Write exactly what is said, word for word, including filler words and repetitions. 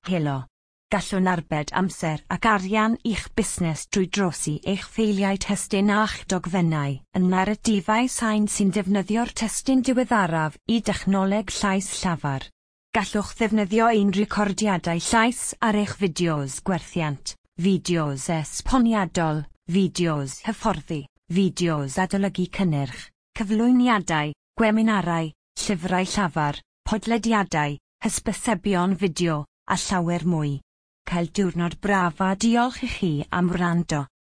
Helo. Gallwn arbed amser ac arian i'ch busnes drwy drosi eich ffeiliau testun a'ch dogfennau yn naratifau sain sy'n defnyddio'r testun diweddaraf i dechnoleg llais llafar. Gallwch ddefnyddio ein recordiadau llais ar eich fideos gwerthiant, fideos esboniadol, fideos hyfforddi, fideos adolygu cynnyrch, cyflwyniadau, gweminarau, llyfrau llafar, podlediadau, hysbysebion fideo, a llawer mwy. Cael diwrnod braf a diolch i chi am wrando.